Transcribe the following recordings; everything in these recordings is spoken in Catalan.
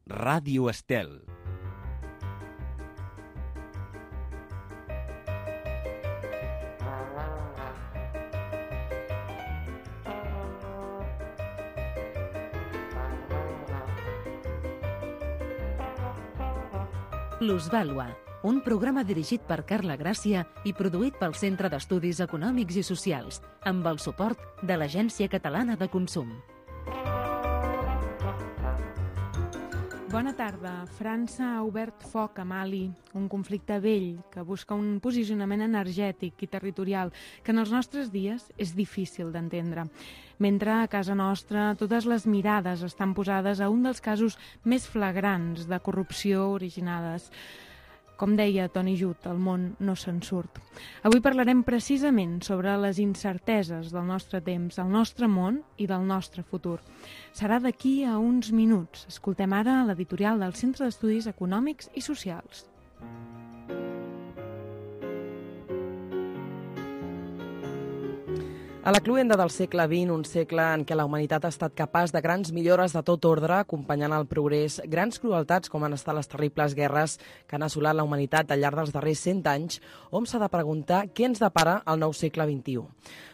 Ràdio Estel. Plusvàlua, un programa dirigit per Carla Gràcia i produït pel Centre d'Estudis Econòmics i Socials, amb el suport de l'Agència Catalana de Consum. Bona tarda. França ha obert foc a Mali, un conflicte vell que busca un posicionament energètic i territorial que en els nostres dies és difícil d'entendre. Mentre a casa nostra totes les mirades estan posades a un dels casos més flagrants de corrupció originades. Com deia Toni Judt, el món no se'n surt. Avui parlarem precisament sobre les incerteses del nostre temps, el nostre món i del nostre futur. Serà d'aquí a uns minuts. Escoltem ara l'editorial del Centre d'Estudis Econòmics i Socials. A la cloenda del segle XX, un segle en què la humanitat ha estat capaç de grans millores de tot ordre, acompanyant el progrés, grans crueltats com han estat les terribles guerres que han assolat la humanitat al llarg dels darrers 100 anys, hom s'ha de preguntar què ens depara el nou segle XXI.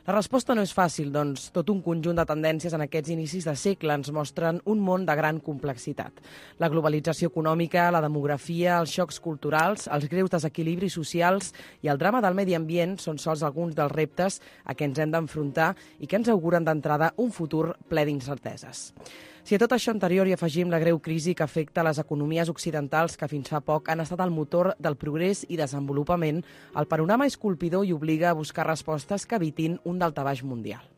La resposta no és fàcil, doncs tot un conjunt de tendències en aquests inicis de segle ens mostren un món de gran complexitat. La globalització econòmica, la demografia, els xocs culturals, els greus desequilibris socials i el drama del medi ambient són sols alguns dels reptes a què ens hem d'enfrontar i que ens auguren d'entrada un futur ple d'incerteses. Si a tot això anterior hi afegim la greu crisi que afecta les economies occidentals que fins fa poc han estat el motor del progrés i desenvolupament, el panorama és colpidor i obliga a buscar respostes que evitin un daltabaix mundial.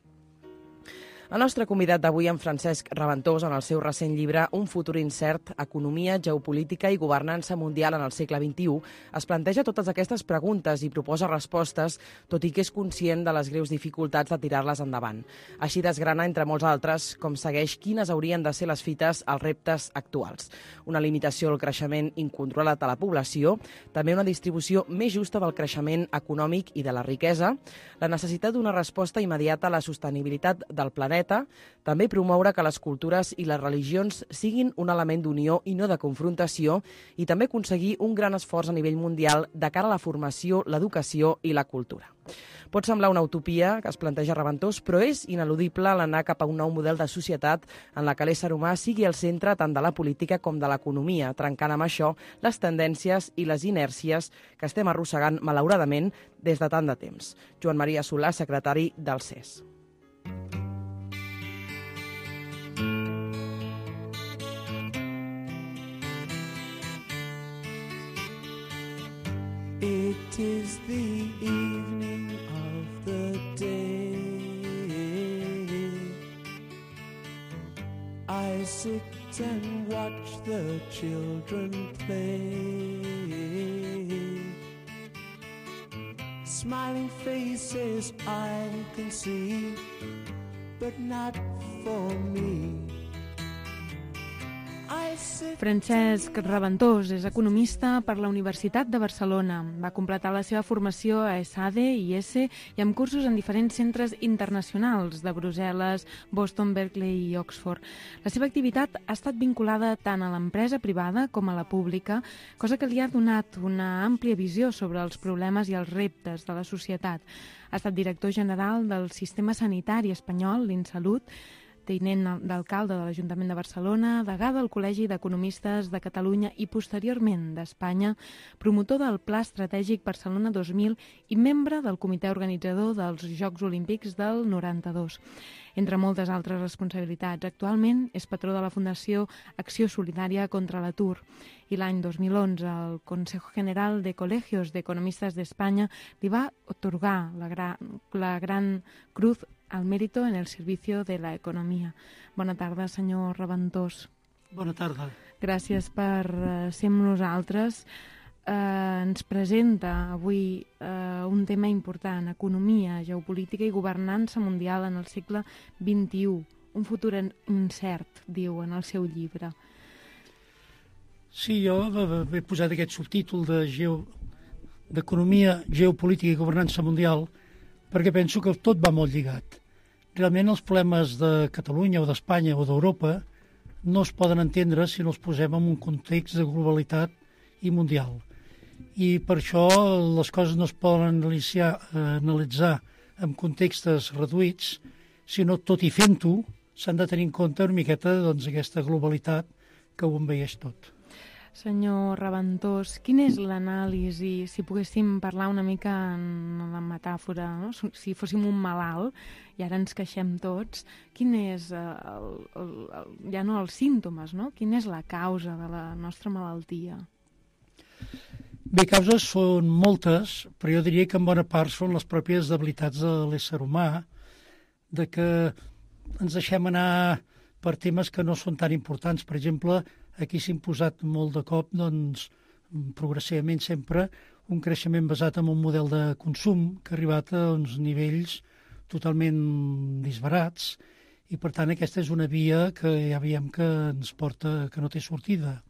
El nostre convidat d'avui, en Francesc Raventós, en el seu recent llibre Un futur incert, economia, geopolítica i governança mundial en el segle XXI, es planteja totes aquestes preguntes i proposa respostes, tot i que és conscient de les greus dificultats de tirar-les endavant. Així desgrana, entre molts altres, com segueix quines haurien de ser les fites als reptes actuals. Una limitació al creixement incontrolat de la població, també una distribució més justa del creixement econòmic i de la riquesa, la necessitat d'una resposta immediata a la sostenibilitat del planeta, també promoure que les cultures i les religions siguin un element d'unió i no de confrontació i també aconseguir un gran esforç a nivell mundial de cara a la formació, l'educació i la cultura. Pot semblar una utopia que es planteja Raventós, però és ineludible l'anar cap a un nou model de societat en la que l'ésser humà sigui el centre tant de la política com de l'economia, trencant amb això les tendències i les inèrcies que estem arrossegant malauradament des de tant de temps. Joan Maria Solà, secretari del CES. It is the evening of the day. I sit and watch the children play. Smiling faces I can see, but not for me. Francesc Raventós és economista per la Universitat de Barcelona. Va completar la seva formació a ESADE i ESE i amb cursos en diferents centres internacionals de Brussel·les, Boston, Berkeley i Oxford. La seva activitat ha estat vinculada tant a l'empresa privada com a la pública, cosa que li ha donat una àmplia visió sobre els problemes i els reptes de la societat. Ha estat director general del Sistema Sanitari Espanyol, l'Insalut, tinent d'alcalde de l'Ajuntament de Barcelona, degà del Col·legi d'Economistes de Catalunya i posteriorment d'Espanya, promotor del Pla Estratègic Barcelona 2000 i membre del comitè organitzador dels Jocs Olímpics del 92. Entre moltes altres responsabilitats, actualment és patró de la Fundació Acció Solidària contra l'Atur i l'any 2011 el Consejo General de Colegios de Economistas de España li va atorgar la Gran Cruz al mérito en el servicio de la economia. Bona tarda, senyor Raventós. Bona tarda. Gràcies per ser amb nosaltres. Ens presenta avui un tema important, economia, geopolítica i governança mundial en el segle XXI. Un futur incert, diu en el seu llibre. Sí, jo he posat aquest subtítol d'economia, geopolítica i governança mundial perquè penso que tot va molt lligat. Realment els problemes de Catalunya o d'Espanya o d'Europa no es poden entendre si no els posem en un context de globalitat i mundial. I per això les coses no es poden analitzar en contextos reduïts, sinó tot i fent-ho s'han de tenir en compte una miqueta aquesta globalitat que ho envaeix tot. Senyor Raventós, quina és l'anàlisi, si poguéssim parlar una mica en la metàfora, no? Si fóssim un malalt i ara ens queixem tots, quin és, ja no els símptomes, no? Quina és la causa de la nostra malaltia? Bé, causes són moltes, però jo diria que en bona part són les pròpies debilitats de l'ésser humà, de que ens deixem anar per temes que no són tan importants. Per exemple, aquí s'ha imposat molt de cop, progressivament sempre, un creixement basat en un model de consum que ha arribat a uns nivells totalment disbarats i, per tant, aquesta és una via que ja veiem que ens porta, que no té sortida.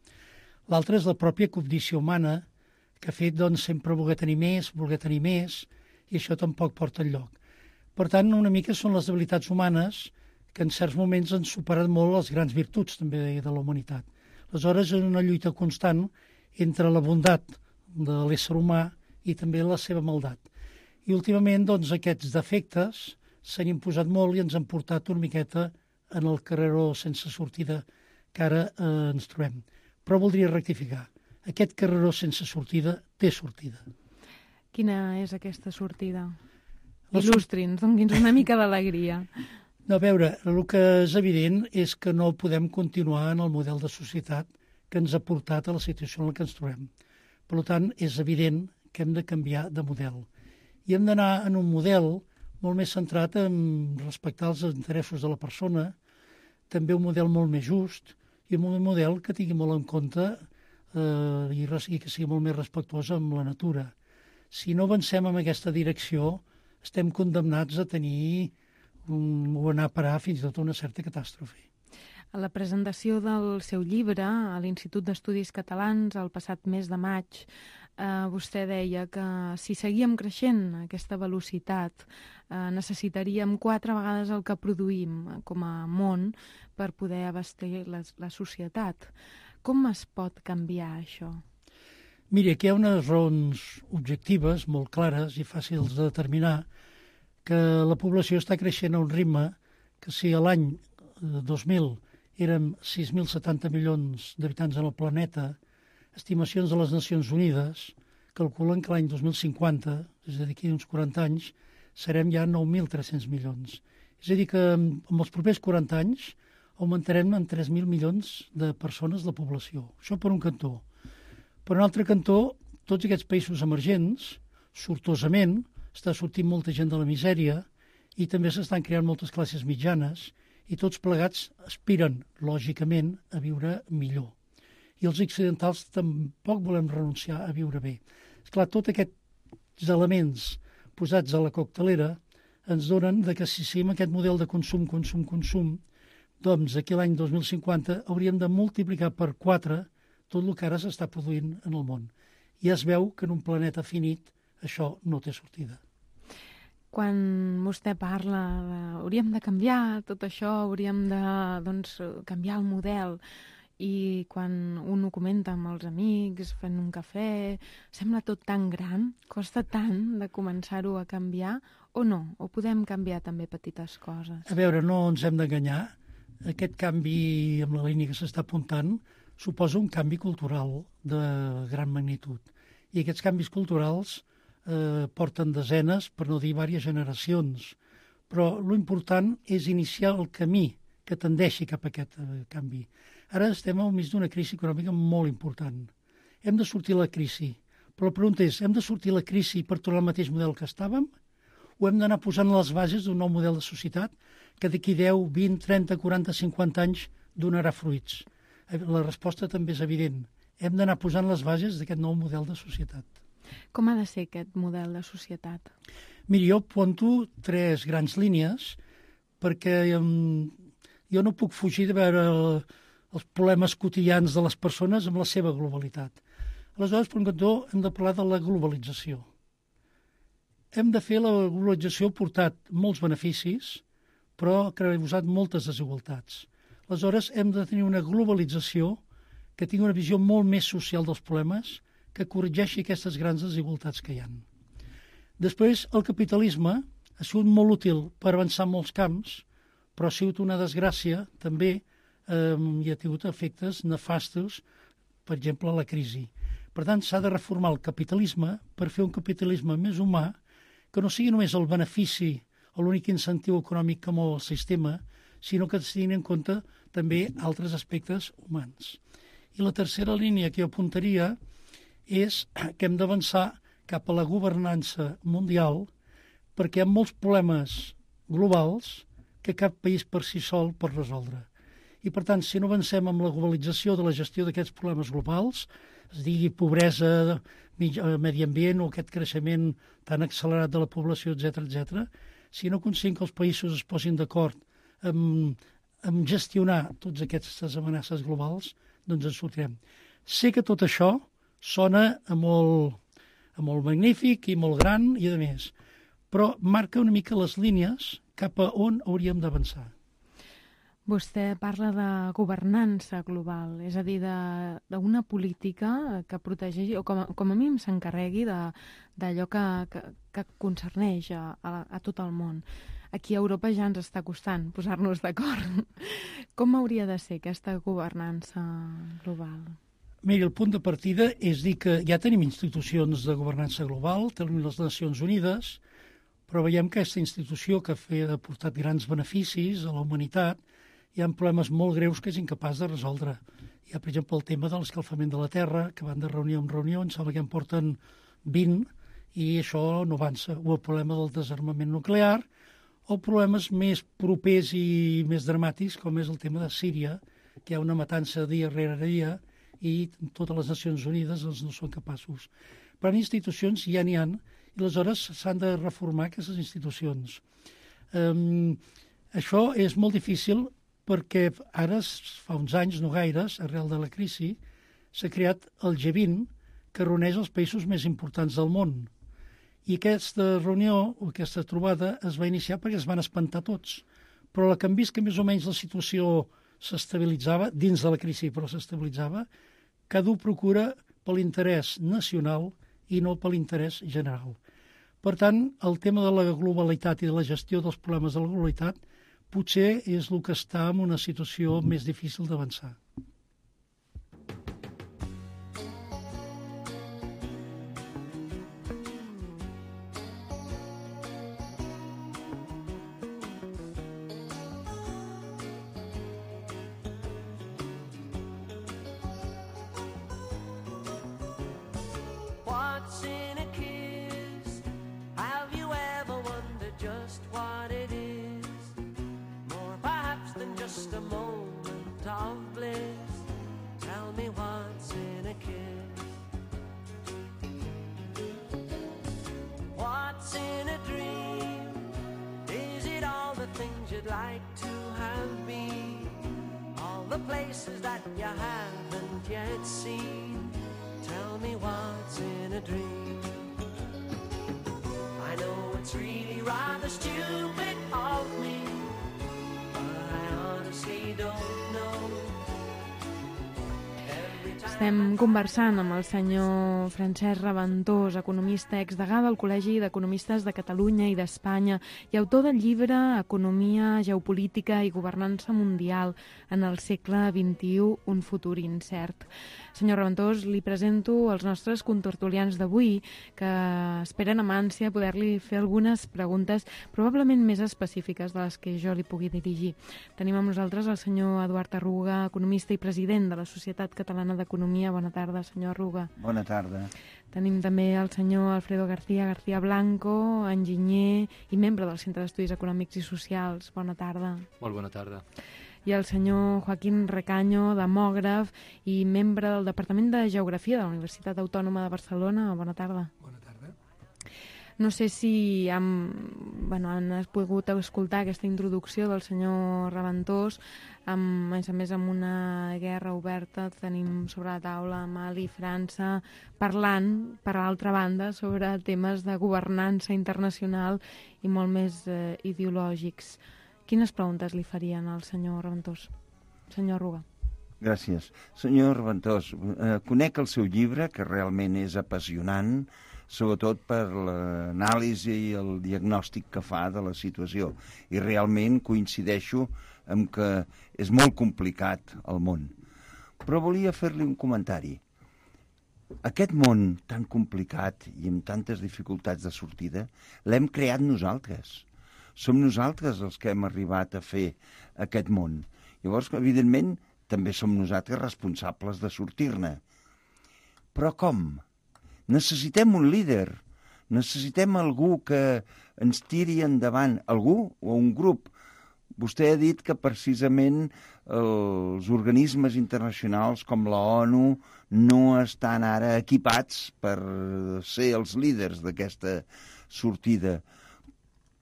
L'altra és la pròpia cobdícia humana, que ha fet sempre voler tenir més, i això tampoc porta enlloc. Per tant, una mica són les debilitats humanes que en certs moments han superat molt les grans virtuts també de la humanitat. Aleshores, és una lluita constant entre la bondat de l'ésser humà i també la seva maldat. I últimament, aquests defectes s'han imposat molt i ens han portat una miqueta en el carreró sense sortida que ara ens trobem. Però voldria rectificar. Aquest carreró sense sortida té sortida. Quina és aquesta sortida? Il·lustri'ns, doni'ns una mica d'alegria. No, a veure, el que és evident és que no podem continuar en el model de societat que ens ha portat a la situació en la que ens trobem. Per tant, és evident que hem de canviar de model. I hem d'anar en un model molt més centrat en respectar els interessos de la persona, també un model molt més just i un model que tingui molt en compte i que sigui molt més respectuós amb la natura. Si no avancem en aquesta direcció, estem condemnats a tenir o anar a parar fins i tot a una certa catàstrofe. A la presentació del seu llibre a l'Institut d'Estudis Catalans el passat mes de maig, vostè deia que si seguíem creixent a aquesta velocitat necessitaríem 4 vegades el que produïm com a món per poder abastir la societat. Com es pot canviar això? Miri, aquí hi ha unes raons objectives molt clares i fàcils de determinar, que la població està creixent a un ritme que si a l'any 2000 érem 6.070 milions d'habitants en el planeta, estimacions de les Nacions Unides calculen que l'any 2050, és a dir, d'aquí uns 40 anys, serem ja 9.300 milions. És a dir, que en els propers 40 anys augmentarem en 3.000 milions de persones la població. Això per un cantó. Per un altre cantó, tots aquests països emergents, sortosament, està sortint molta gent de la misèria i també s'estan creant moltes classes mitjanes i tots plegats aspiren, lògicament, a viure millor. I els occidentals tampoc volem renunciar a viure bé. Esclar, tots aquests elements posats a la coctelera ens donen que si seguim aquest model de consum, doncs aquí l'any 2050 hauríem de multiplicar per 4 tot el que ara s'està produint en el món. I es veu que en un planeta finit això no té sortida. Quan vostè parla de hauríem de canviar tot això, hauríem de canviar el model, i quan un ho comenta amb els amics, fent un cafè, sembla tot tan gran, costa tant de començar-ho a canviar, o no? O podem canviar també petites coses? A veure, no ens hem d'enganyar. Aquest canvi amb la línia que s'està apuntant suposa un canvi cultural de gran magnitud. I aquests canvis culturals porten desenes, per no dir diverses generacions. Però l'important és iniciar el camí que tendeixi cap a aquest canvi. Ara estem al mig d'una crisi econòmica molt important. Hem de sortir de la crisi. Però la pregunta és, hem de sortir de la crisi per tornar al mateix model que estàvem? O hem d'anar posant les bases d'un nou model de societat que d'aquí 10, 20, 30, 40, 50 anys donarà fruits? La resposta també és evident. Hem d'anar posant les bases d'aquest nou model de societat. Com ha de ser aquest model de societat? Miri, jo apunto 3 grans línies perquè jo no puc fugir de veure els problemes quotidians de les persones amb la seva globalitat. Aleshores, per un cantó, hem de parlar de la globalització. Hem de fer la globalització portat molts beneficis, però que ha causat moltes desigualtats. Aleshores, hem de tenir una globalització que tingui una visió molt més social dels problemes, que corregeixi aquestes grans desigualtats que hi ha. Després, el capitalisme ha sigut molt útil per avançar en molts camps, però ha sigut una desgràcia també i ha tingut efectes nefastos, per exemple, la crisi. Per tant, s'ha de reformar el capitalisme per fer un capitalisme més humà, que no sigui només el benefici o l'únic incentiu econòmic que mou el sistema, sinó que es tinguin en compte també altres aspectes humans. I la tercera línia que jo apuntaria és que hem d'avançar cap a la governança mundial perquè hi ha molts problemes globals que cap país per si sol pot resoldre. I, per tant, si no avancem amb la globalització de la gestió d'aquests problemes globals, es digui pobresa, medi ambient o aquest creixement tan accelerat de la població, etc., si no aconseguim que els països es posin d'acord en gestionar totes aquestes amenaces globals, doncs ens sortirem. Sé que tot això sona a molt magnífic i molt gran i a més, però marca una mica les línies cap a on hauríem d'avançar. Vostè parla de governança global, és a dir, d'una política que protegeixi, o com a mínim s'encarregui d'allò que concerneix a tot el món. Aquí a Europa ja ens està costant posar-nos d'acord. Com hauria de ser aquesta governança global? Miri, el punt de partida és dir que ja tenim institucions de governança global, tenim les Nacions Unides, però veiem que aquesta institució que ha portat grans beneficis a la humanitat, hi ha problemes molt greus que és incapaç de resoldre. Hi ha, per exemple, el tema de l'escalfament de la Terra, que van de reunió en reunió, em sembla que en porten 20, i això no avança. O el problema del desarmament nuclear, o problemes més propers i més dramàtics, com és el tema de Síria, que hi ha una matança dia rere dia, i totes les Nacions Unides no són capaços. Però en institucions ja n'hi ha, i aleshores s'han de reformar aquestes institucions. Això és molt difícil perquè ara, fa uns anys, no gaires, arrel de la crisi, s'ha creat el G20, que reuneix els països més importants del món. I aquesta reunió, o aquesta trobada, es va iniciar perquè es van espantar tots. Però que han vist que més o menys la situació s'estabilitzava, dins de la crisi, però s'estabilitzava, cada un procura per l'interès nacional i no per l'interès general. Per tant, el tema de la globalitat i de la gestió dels problemes de la globalitat potser és el que està en una situació més difícil d'avançar. What's in a kiss? Have you ever wondered just what it is? More perhaps than just a moment of bliss. Tell me what's in a kiss? What's in a dream? Is it all the things you'd like to have been? All the places that you haven't yet seen? Tell me what's in a dream. I know it's really rather stupid of me, but I honestly don't know. Estem conversant amb el senyor Francesc Raventós, economista exdegà del Col·legi d'Economistes de Catalunya i d'Espanya i autor del llibre Economia, Geopolítica i Governança Mundial en el segle XXI, un futur incert. Senyor Raventós, li presento els nostres contertulians d'avui, que esperen amb ànsia poder-li fer algunes preguntes probablement més específiques de les que jo li pugui dirigir. Tenim amb nosaltres el senyor Eduard Arruga, economista i president de la Societat Catalana d'Economia. Bona tarda, senyor Arruga. Bona tarda. Tenim també el senyor Alfredo García Blanco, enginyer i membre del Centre d'Estudis Econòmics i Socials. Bona tarda. Molt bona tarda. I el senyor Joaquín Recaño, demògraf i membre del Departament de Geografia de la Universitat Autònoma de Barcelona. Bona tarda. Bona tarda. No sé si han pogut escoltar aquesta introducció del senyor Raventós, a més amb una guerra oberta, tenim sobre la taula Mali i França, parlant, per l'altra banda, sobre temes de governança internacional i molt més ideològics. Quines preguntes li farien al senyor Raventós? Senyor Ruga. Gràcies. Senyor Reventós, conec el seu llibre, que realment és apassionant, sobretot per l'anàlisi i el diagnòstic que fa de la situació. I realment coincideixo amb que és molt complicat el món. Però volia fer-li un comentari. Aquest món tan complicat i amb tantes dificultats de sortida l'hem creat nosaltres. Som nosaltres els que hem arribat a fer aquest món. Llavors, evidentment, també som nosaltres responsables de sortir-ne. Però com? Necessitem un líder, necessitem algú que ens tiri endavant, algú o un grup. Vostè ha dit que precisament els organismes internacionals com la ONU no estan ara equipats per ser els líders d'aquesta sortida.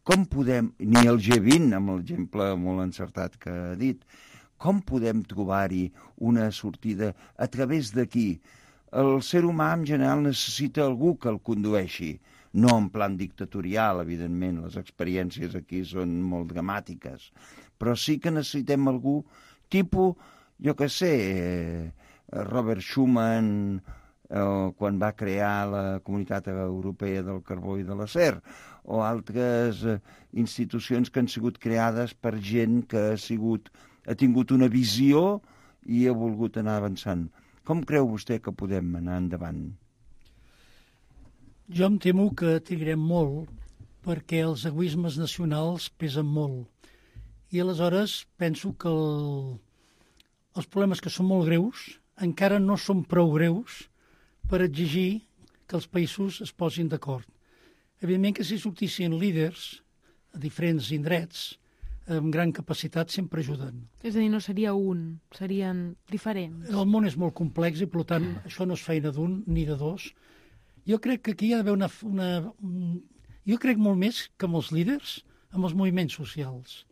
Com podem, ni el G20, amb l'exemple molt encertat que ha dit, com podem trobar-hi una sortida a través d'aquí? El ser humà en general necessita algú que el condueixi, no en plan dictatorial, evidentment, les experiències aquí són molt dramàtiques, però sí que necessitem algú tipus, jo què sé, Robert Schuman, quan va crear la Comunitat Europea del Carbó i de l'Acer, o altres institucions que han sigut creades per gent que ha tingut una visió i ha volgut anar avançant. Com creu vostè que podem anar endavant? Jo em temo que trigarem molt perquè els egoismes nacionals pesen molt. I aleshores penso que els problemes que són molt greus encara no són prou greus per exigir que els països es posin d'acord. Evidentment que si sortissin líders a diferents indrets amb gran capacitat sempre ajuden. És a dir, no seria un, serien diferents. El món és molt complex i, per tant, això no és feina d'un ni de dos. Jo crec que aquí hi ha d'haver Jo crec molt més que amb els líders, amb els moviments socials.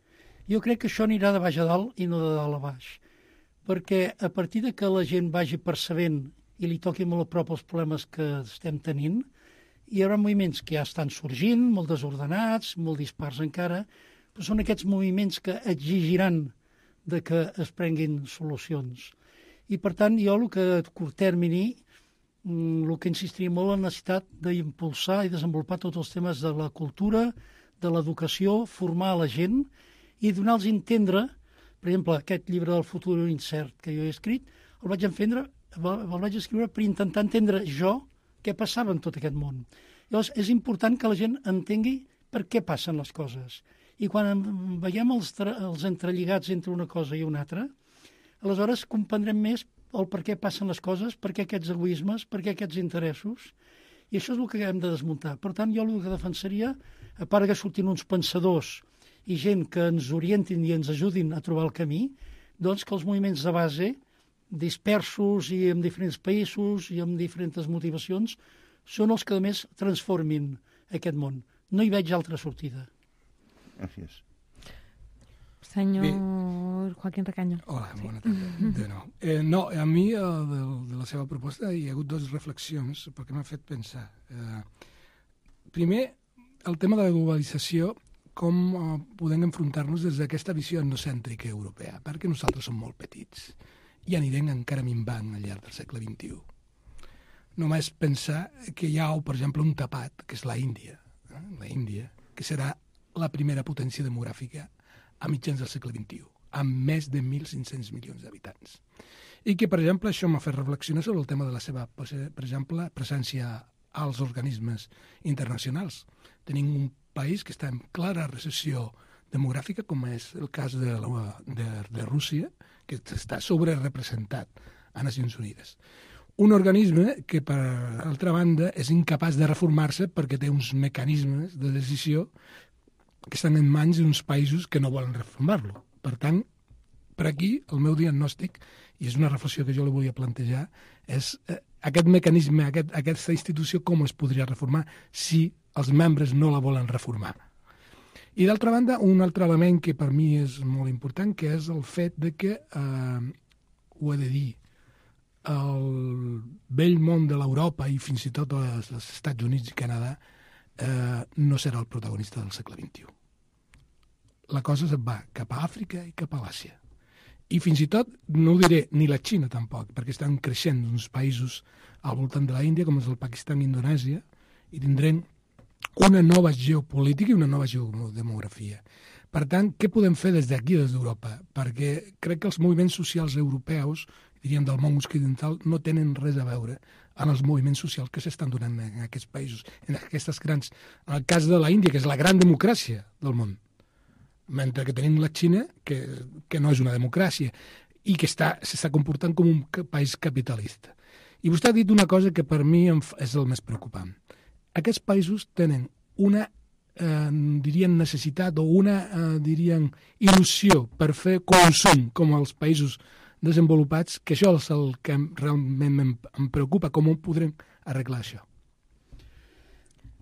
Jo crec que això anirà de baix a dalt i no de dalt a baix. Perquè a partir de que la gent vagi percebent i li toqui molt a prop els problemes que estem tenint, hi haurà moviments que ja estan sorgint, molt desordenats, molt dispars encara, però són aquests moviments que exigiran de que es prenguin solucions. I, per tant, jo el que a curt termini, el que insistiria molt en la necessitat d'impulsar i desenvolupar tots els temes de la cultura, de l'educació, formar la gent i donar-los a entendre, per exemple, aquest llibre del futur incert que jo he escrit, el vaig escriure per intentar entendre jo què passava en tot aquest món. Llavors, és important que la gent entengui per què passen les coses. I quan veiem els entrelligats entre una cosa i una altra, aleshores comprendrem més el per què passen les coses, per què aquests egoismes, per què aquests interessos, i això és el que hem de desmuntar. Per tant, jo el que defensaria, a part que surtin uns pensadors i gent que ens orientin i ens ajudin a trobar el camí, doncs que els moviments de base, dispersos i en diferents països i amb diferents motivacions, són els que, a més, transformin aquest món. No hi veig altra sortida. Gràcies. Senyor Joaquín Recaño. Hola, bona tarda. De nou. No, a mi de la seva proposta hi ha hagut dues reflexions perquè m'ha fet pensar. Primer, el tema de la globalització, com podem enfrontar-nos des d'aquesta visió etnocèntrica europea, perquè nosaltres som molt petits i anirem encara minvant al llarg del segle XXI. Només pensar que hi ha, per exemple, un tapat, que és l'Índia, que serà la primera potència demogràfica a mitjans del segle XXI, amb més de 1.500 milions d'habitants. I que, per exemple, això m'ha fet reflexionar sobre el tema de la seva, per exemple, presència als organismes internacionals. Tenim un país que està en clara recessió demogràfica, com és el cas de Rússia, que està sobrerepresentat a Nacions Unides. Un organisme que, per altra banda, és incapaç de reformar-se perquè té uns mecanismes de decisió que estan en mans d'uns països que no volen reformar-lo. Per tant, per aquí, el meu diagnòstic, i és una reflexió que jo li volia plantejar, és aquest mecanisme, aquesta institució, com es podria reformar si els membres no la volen reformar. I d'altra banda, un altre element que per mi és molt important, que és el fet de que, ho he de dir, el vell món de l'Europa i fins i tot els Estats Units i Canadà no serà el protagonista del segle XXI. La cosa se'n va cap a Àfrica i cap a l'Àsia. I fins i tot, no ho diré, ni la Xina tampoc, perquè estan creixent uns països al voltant de la Índia, com és el Pakistan i Indonèsia, i tindrem una nova geopolítica i una nova geodemografia. Per tant, què podem fer des d'aquí, des d'Europa? Perquè crec que els moviments socials europeus, diríem del món occidental, no tenen res a veure amb els moviments socials que s'estan donant en aquests països, en aquestes grans... En el cas de la Índia, que és la gran democràcia del món, mentre que tenim la Xina, que no és una democràcia, i que s'està comportant com un país capitalista. I vostè ha dit una cosa que per mi és el més preocupant. Aquests països tenen una, dirien, necessitat o una, dirien, il·lusió per fer consum com els països desenvolupats, que això és el que realment em preocupa, com ho podrem arreglar això.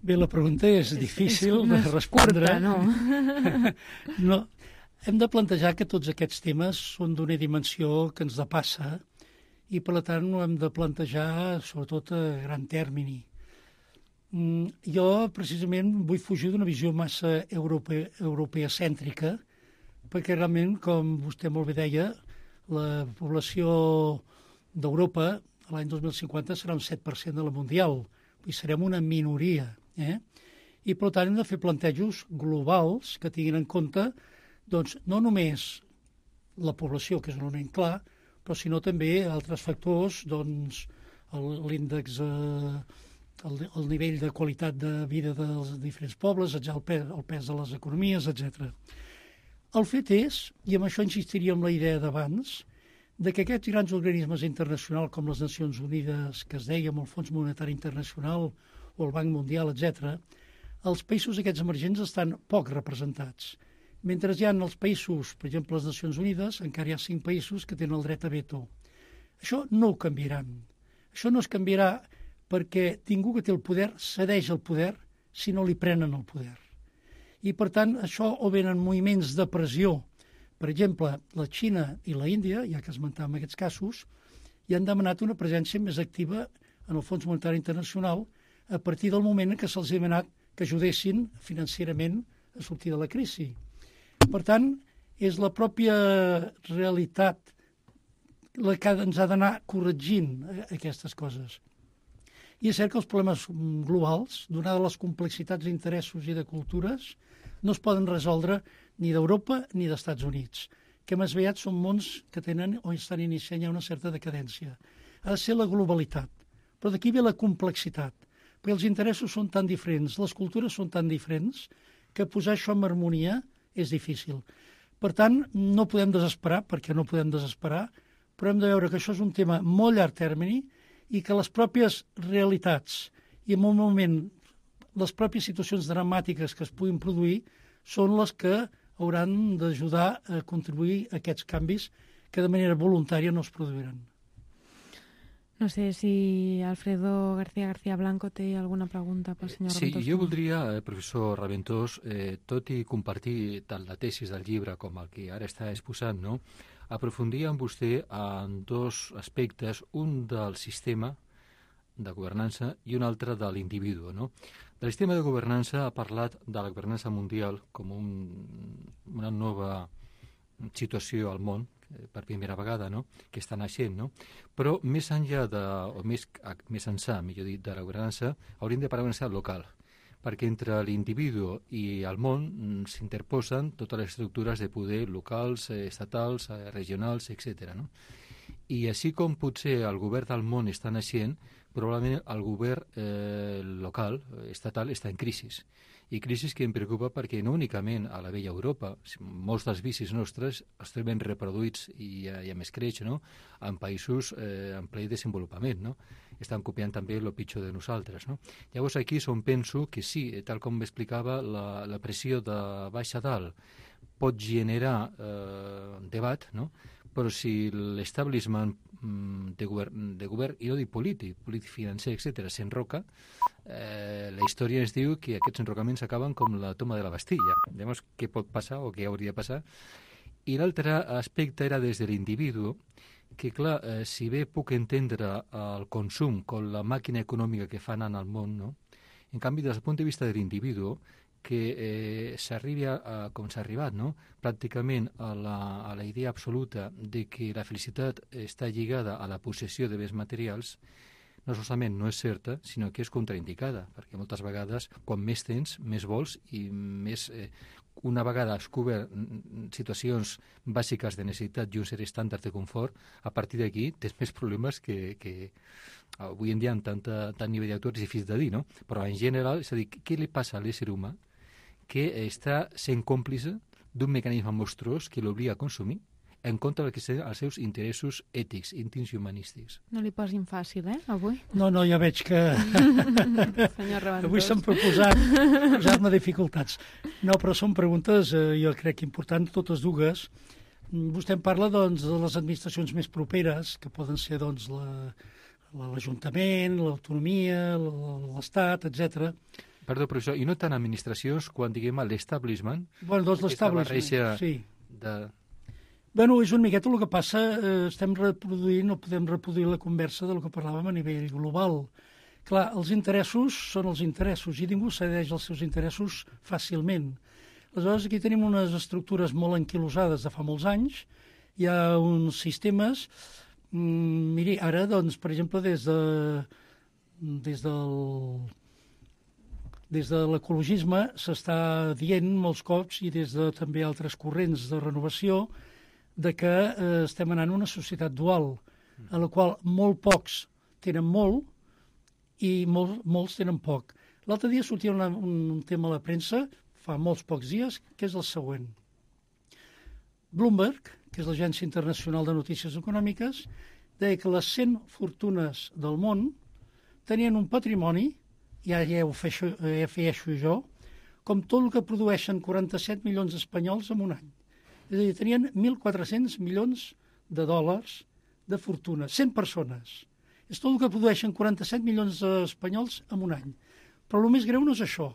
Bé, la pregunta és difícil de respondre. Curta, no? No. Hem de plantejar que tots aquests temes són d'una dimensió que ens depassa i, per tant, ho hem de plantejar sobretot a gran termini. Jo, precisament, vull fugir d'una visió massa europeacèntrica, perquè realment, com vostè molt bé deia, la població d'Europa l'any 2050 serà un 7% de la mundial, i serem una minoria. I, per tant, hem de fer plantejos globals que tinguin en compte doncs, no només la població, que és un element clar, però sinó també altres factors, doncs, l'índex, el nivell de qualitat de vida dels diferents pobles, el pes de les economies, etc. El fet és, i amb això insistiria en la idea d'abans, de que aquests grans organismes internacionals com les Nacions Unides, que es deia amb el Fons Monetari Internacional o el Banc Mundial, etc., els països aquests emergents estan poc representats. Mentre hi ha els països, per exemple, les Nacions Unides, encara hi ha 5 països que tenen el dret a veto. Això no ho canviaran. Això no es canviarà perquè ningú que té el poder cedeix el poder si no li prenen el poder. I, per tant, això o venen moviments de pressió. Per exemple, la Xina i la Índia, ja que esmentàvem aquests casos, ja han demanat una presència més activa en el Fons Monetari Internacional a partir del moment en què se'ls ha demanat que ajudessin financerament a sortir de la crisi. Per tant, és la pròpia realitat la que ens ha d'anar corregint aquestes coses. I és cert que els problemes globals, donades les complexitats d'interessos i de cultures, no es poden resoldre ni d'Europa ni d'Estats Units, que més aviat són mons que tenen o estan iniciant ja una certa decadència. Ha de ser la globalitat, però d'aquí ve la complexitat, perquè els interessos són tan diferents, les cultures són tan diferents, que posar això en harmonia és difícil. Per tant, no podem desesperar, perquè no podem desesperar, però hem de veure que això és un tema molt llarg termini i que les pròpies realitats i en un moment les pròpies situacions dramàtiques que es puguin produir són les que hauran d'ajudar a contribuir a aquests canvis que de manera voluntària no es produiran. No sé si Alfredo García Blanco té alguna pregunta pel senyor Raventós. Sí, jo voldria, professor Raventós, tot i compartir tant la tesi del llibre com el que ara està exposant, no? Aprofundir amb vostè en 2 aspectes, un del sistema de governança i un altre de l'individu, no? Del sistema de governança ha parlat de la governança mundial com una nova situació al món, per primera vegada, no?, que està naixent, no? Però més enllà més ençà, millor dit, de la governança, hauríem de parlar d'una necessitat local, perquè entre l'individu i el món s'interposen totes les estructures de poder locals, estatals, regionals, etc. No? I així com potser el govern del món està naixent, probablement el govern local, estatal, està en crisi. I crisi que em preocupa perquè no únicament a la vella Europa, molts dels vicis nostres es troben reproduïts i a més creix, no?, en països en ple desenvolupament, no? Estan copiant també el pitjor de nosaltres, no? Llavors aquí és on penso que sí, tal com explicava, la pressió de baix a dalt pot generar debat, no?, però si l'establishment de govern, i no dic polític financer, etc., s'enroca, la història ens diu que aquests enrocaments acaben com la toma de la Bastilla. Llavors, què pot passar o què hauria de passar? I l'altre aspecte era des de l'individu, que clar, si bé puc entendre el consum com la màquina econòmica que fa anar al món, no? En canvi, des del punt de vista de l'individu, que s'arribi com s'ha arribat, no? Pràcticament a la idea absoluta de que la felicitat està lligada a la possessió de béns materials, no solament no és certa, sinó que és contraindicada, perquè moltes vegades, quan més tens, més vols i més... una vegada has cobert situacions bàsiques de necessitat i un cert estàndard de confort, a partir d'aquí tens més problemes que avui en dia amb tant nivell d'autor és difícil de dir, no? Però en general, és a dir, què li passa a l'ésser humà que està sent còmplice d'un mecanisme monstruós que l'obliga a consumir en contra del que són els seus interessos ètics, íntims i humanístics. No li posin fàcil, avui? No, ja veig que... Senyor Raventós. Avui s'han posat-me dificultats. No, però són preguntes, jo crec, importants, totes dues. Vostè em parla, doncs, de les administracions més properes, que poden ser, doncs, l'Ajuntament, l'autonomia, l'Estat, etc. Perdó, professor, i no tant administracions quan, diguem, l'establishment? Bueno, doncs l'establishment, sí. Bueno, és una miqueta el que passa, estem reproduint, no podem reproduir la conversa del que parlàvem a nivell global. Clar, els interessos són els interessos i ningú cedeix els seus interessos fàcilment. Aleshores, aquí tenim unes estructures molt anquilosades de fa molts anys, hi ha uns sistemes, miri, ara, doncs, per exemple, des de l'ecologisme s'està dient molts cops i des de també altres corrents de renovació de que estem anant a una societat dual, a la qual molt pocs tenen molt i molts tenen poc. L'altre dia sortia un tema a la premsa, fa molts pocs dies, que és el següent. Bloomberg, que és l'Agència Internacional de Notícies Econòmiques, deia que les 100 fortunes del món tenien un patrimoni, ja ho afegeixo jo, com tot el que produeixen 47 milions d'espanyols en un any. És a dir, tenien 1.400 milions de dòlars de fortuna, 100 persones. És tot el que produeixen 47 milions d'espanyols en un any. Però el més greu no és això.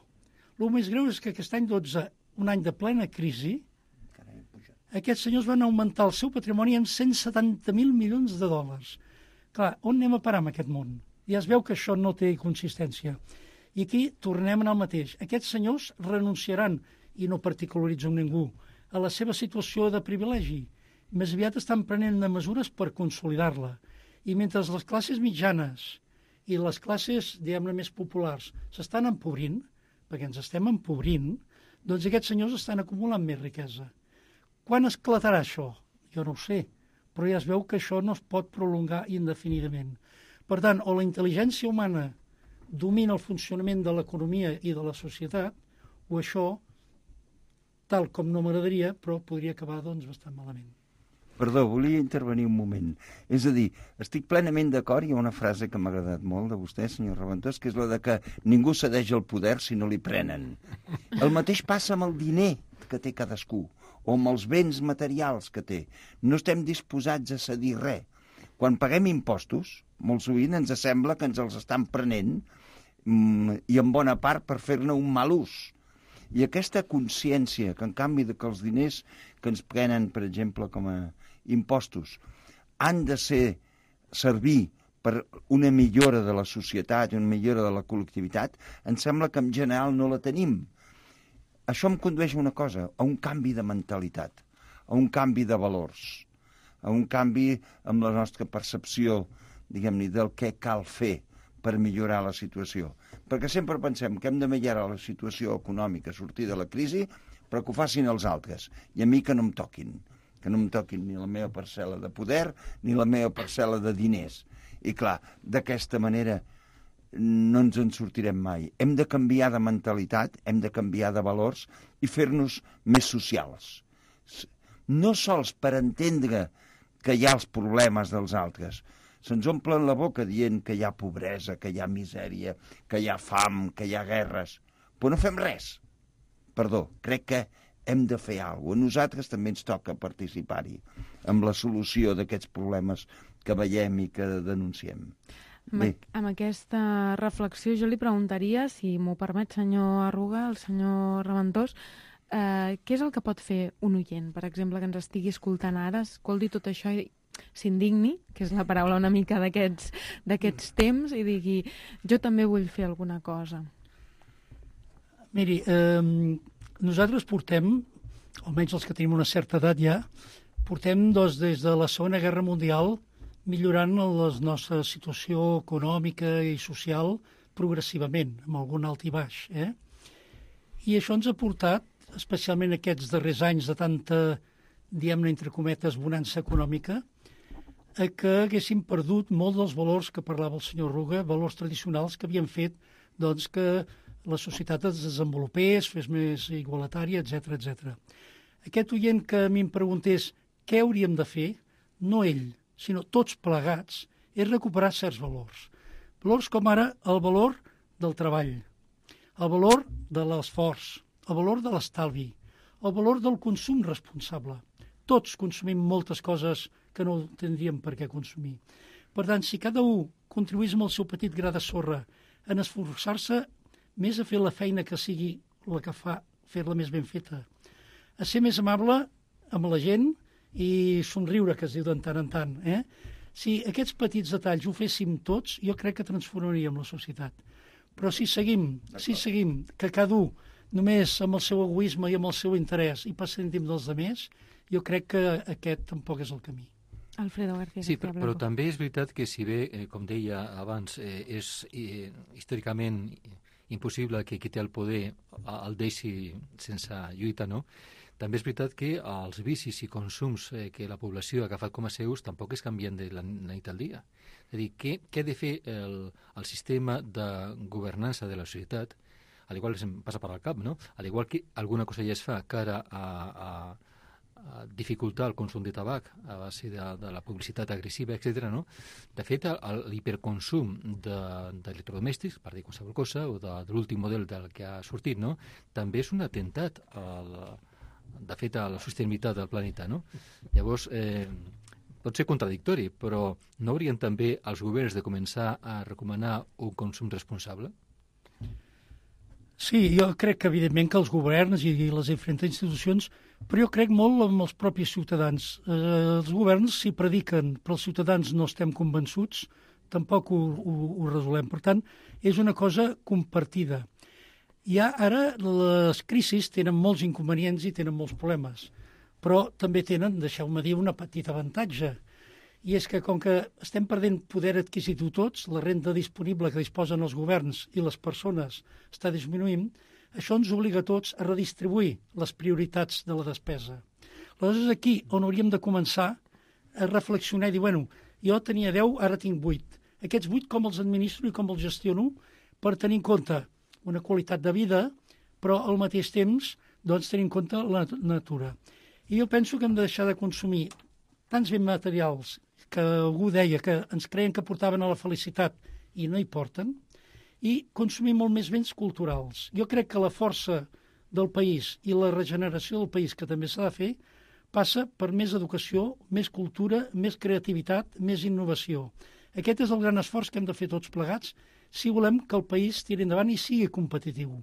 El més greu és que aquest any 12, un any de plena crisi, aquests senyors van augmentar el seu patrimoni en 170.000 milions de dòlars. Clar, on anem a parar amb aquest món? Ja es veu que això no té consistència. I aquí tornem al mateix. Aquests senyors renunciaran, i no particularitzo ningú, a la seva situació de privilegi. Més aviat estan prenent mesures per consolidar-la. I mentre les classes mitjanes i les classes, diguem-ne, més populars s'estan empobrint, perquè ens estem empobrint, doncs aquests senyors estan acumulant més riquesa. Quan esclatarà això? Jo no ho sé, però ja es veu que això no es pot prolongar indefinidament. Per tant, o la intel·ligència humana domina el funcionament de l'economia i de la societat, o això, tal com no m'agradaria, però podria acabar, doncs, bastant malament. Perdó, volia intervenir un moment. És a dir, estic plenament d'acord, hi ha una frase que m'ha agradat molt de vostè, senyor Raventós, que és la de que ningú cedeix el poder si no li prenen. El mateix passa amb el diner que té cadascú, o amb els béns materials que té. No estem disposats a cedir res. Quan paguem impostos, molt sovint ens sembla que ens els estan prenent i en bona part per fer-ne un mal ús. I aquesta consciència que, en canvi, que els diners que ens prenen, per exemple, com a impostos, han de servir per una millora de la societat, una millora de la col·lectivitat, em sembla que en general no la tenim. Això em condueix a una cosa, a un canvi de mentalitat, a un canvi de valors, a un canvi amb la nostra percepció, diguem-ne, del què cal fer per millorar la situació. Perquè sempre pensem que hem de millorar la situació econòmica, sortir de la crisi, però que ho facin els altres, i a mi que no em toquin ni la meva parcel·la de poder, ni la meva parcel·la de diners. I clar, d'aquesta manera no ens en sortirem mai. Hem de canviar de mentalitat, hem de canviar de valors i fer-nos més socials. No sols per entendre que hi ha els problemes dels altres. Se'ns omplen la boca dient que hi ha pobresa, que hi ha misèria, que hi ha fam, que hi ha guerres. Però no fem res. Perdó, crec que hem de fer alguna cosa. A nosaltres també ens toca participar-hi amb la solució d'aquests problemes que veiem i que denunciem. Amb aquesta reflexió jo li preguntaria, si m'ho permet, senyor Arruga, el senyor Raventós, què és el que pot fer un oient, per exemple, que ens estigui escoltant ara, escolti tot això i s'indigni, que és la paraula una mica d'aquests temps, i digui, jo també vull fer alguna cosa. Miri, nosaltres portem, almenys els que tenim una certa edat ja, portem des de la Segona Guerra Mundial millorant la nostra situació econòmica i social progressivament, amb algun alt i baix. I això ens ha portat, especialment aquests darrers anys de tanta, diguem-ne, entre cometes, bonança econòmica, a que haguéssim perdut molt dels valors que parlava el senyor Ruga, valors tradicionals que havien fet doncs, que la societat es desenvolupés, fes més igualitària, etc. Aquest oient que a mi em preguntés què hauríem de fer, no ell, sinó tots plegats, és recuperar certs valors. Valors com ara el valor del treball, el valor de l'esforç, el valor de l'estalvi, el valor del consum responsable. Tots consumim moltes coses que no tindríem per què consumir. Per tant, si cada un contribuís amb el seu petit gra de sorra en esforçar-se més a fer la feina que sigui la que fa, fer-la més ben feta, a ser més amable amb la gent i somriure, que es diu de tant en tant. Si aquests petits detalls ho féssim tots, jo crec que transformaríem la societat. Però si seguim que cada un només amb el seu egoisme i amb el seu interès i passem dels altres, jo crec que aquest tampoc és el camí. Alfredo García. Sí, però també és veritat que si bé, com deia abans, és històricament impossible que qui té el poder el deixi sense lluita, no? També és veritat que els vicis i consums que la població ha agafat com a seus tampoc es canvien de la nit al dia. És a dir, què ha de fer el sistema de governança de la societat, al igual que em passa per al cap, no? Al igual que alguna cosa ja es fa cara a dificultar el consum de tabac a base de la publicitat agressiva, etc. No? De fet, l'hiperconsum d'electrodomèstics, per dir qualsevol cosa, o de l'últim model del que ha sortit, no? També és un atemptat de fet, a la sostenibilitat del planeta, no? Llavors, pot ser contradictori, però no haurien també els governs de començar a recomanar un consum responsable? Sí, jo crec que evidentment que els governs i les diferents institucions, però jo crec molt en els propis ciutadans. Els governs s'hi prediquen, però els ciutadans no estem convençuts, tampoc ho resolem. Per tant, és una cosa compartida. Ara les crisis tenen molts inconvenients i tenen molts problemes, però també tenen, deixeu-me dir, una petita avantatge. I és que com que estem perdent poder adquisitiu tots, la renda disponible que disposen els governs i les persones està disminuint, això ens obliga a tots a redistribuir les prioritats de la despesa. Aleshores, aquí on hauríem de començar a reflexionar i dir, bueno, jo tenia 10, ara tinc 8. Aquests 8 com els administro i com els gestiono per tenir en compte una qualitat de vida, però al mateix temps doncs, tenir en compte la natura. I jo penso que hem de deixar de consumir tants béns materials que algú deia que ens creien que portaven a la felicitat i no hi porten, i consumir molt més béns culturals. Jo crec que la força del país i la regeneració del país, que també s'ha de fer, passa per més educació, més cultura, més creativitat, més innovació. Aquest és el gran esforç que hem de fer tots plegats si volem que el país tiri endavant i sigui competitiu.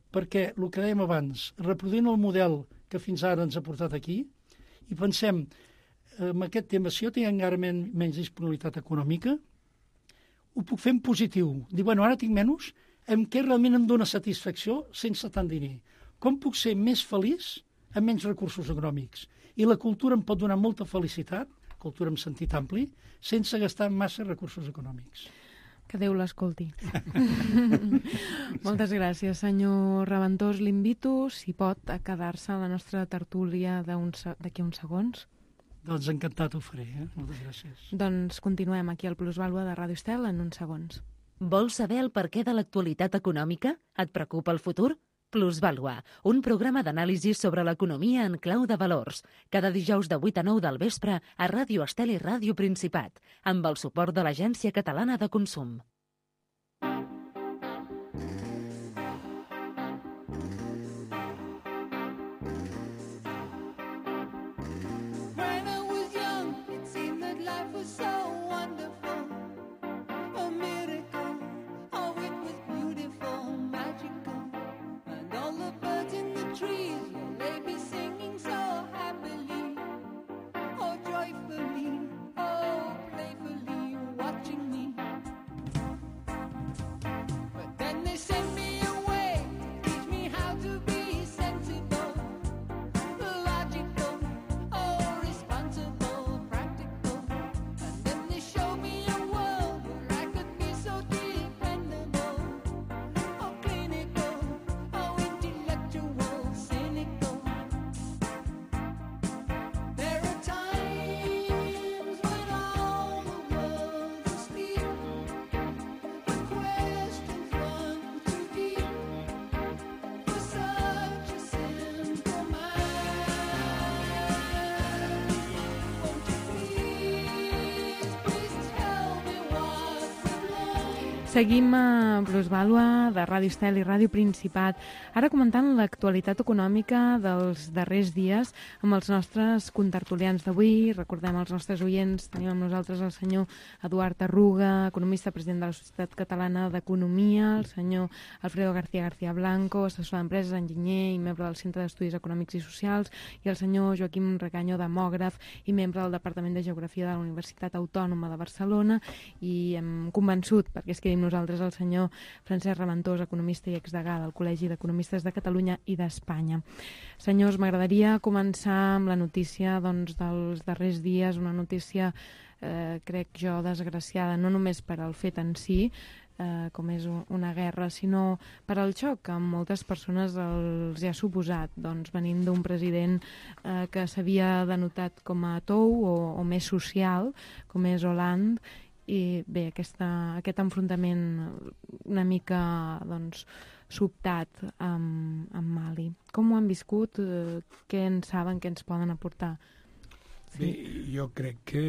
Perquè, el que dèiem abans, reproduint el model que fins ara ens ha portat aquí, i pensem, en aquest tema, si jo tinc encara menys disponibilitat econòmica, ho puc fer en positiu. Dir, bueno, ara tinc menys, en què realment em dóna satisfacció sense tant diner. Com puc ser més feliç amb menys recursos econòmics? I la cultura em pot donar molta felicitat, cultura en sentit ampli, sense gastar massa recursos econòmics. Que Déu l'escolti. Moltes gràcies, senyor Raventós. L'invito, si pot, a quedar-se a la nostra tertúlia d'aquí uns segons. Doncs encantat ho faré, Moltes gràcies. Doncs continuem aquí al Plusvàlua de Ràdio Estel en uns segons. Vols saber el perquè de l'actualitat econòmica? Et preocupa el futur? Plusvàlua, un programa d'anàlisi sobre l'economia en clau de valors. Cada dijous de 8 a 9 del vespre a Ràdio Estel i Ràdio Principat, amb el suport de l'Agència Catalana de Consum. Seguim a Plusvàlua de Ràdio Estel i Ràdio Principat, ara comentant l'actualitat econòmica dels darrers dies amb els nostres contertulians d'avui. Recordem als nostres oients, tenim amb nosaltres el senyor Eduard Arruga, economista, president de la Societat Catalana d'Economia, el senyor Alfredo García Blanco, assessor d'empreses, enginyer i membre del Centre d'Estudis Econòmics i Socials, i el senyor Joaquim Recaño, demògraf i membre del Departament de Geografia de la Universitat Autònoma de Barcelona. I hem convençut, perquè es quedi amb nosaltres, el senyor Francesc Raventós, economista i exdegà del Col·legi d'Economistes de Catalunya i d'Espanya. Senyors, m'agradaria començar amb la notícia dels darrers dies, una notícia, crec jo, desgraciada, no només per al fet en si, com és una guerra, sinó per al xoc que moltes persones els hi ha suposat, venint d'un president que s'havia denotat com a tou o més social, com és Hollande. I bé, aquest enfrontament una mica sobtat amb Mali. Com ho han viscut? Què en saben? Què ens poden aportar? Sí. Bé, jo crec que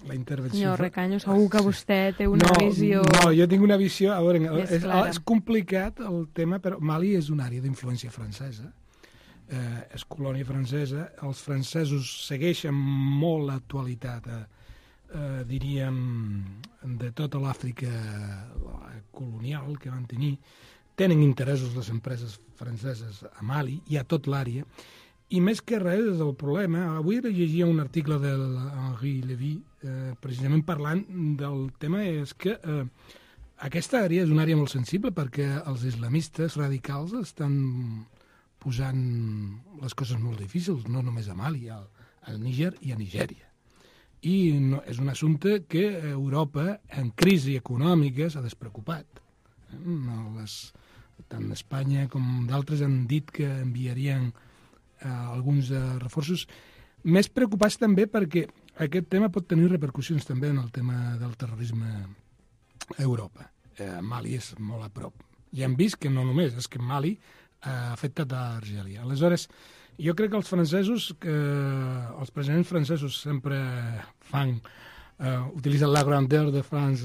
la intervenció... Senyor Recaño, segur que vostè té una visió... No, jo tinc una visió... A veure, és complicat el tema, però Mali és una àrea d'influència francesa. És colònia francesa. Els francesos segueixen molt l'actualitat diríem, de tota l'Àfrica colonial que van tenir. Tenen interessos les empreses franceses a Mali i a tot l'àrea, i més que res és el problema. Avui llegia un article de Henri Lévy, precisament parlant del tema, és que aquesta àrea és una àrea molt sensible perquè els islamistes radicals estan posant les coses molt difícils, no només a Mali, al Níger i a Nigèria. I no, és un assumpte que Europa, en crisi econòmica, s'ha despreocupat. Tant Espanya com d'altres han dit que enviarien alguns reforços, més preocupats també perquè aquest tema pot tenir repercussions també en el tema del terrorisme a Europa. Mali és molt a prop. I hem vist que no només, és que Mali ha afectat a Argèlia. Aleshores, jo crec que els francesos, els presidents francesos sempre utilitzen la grandeur de France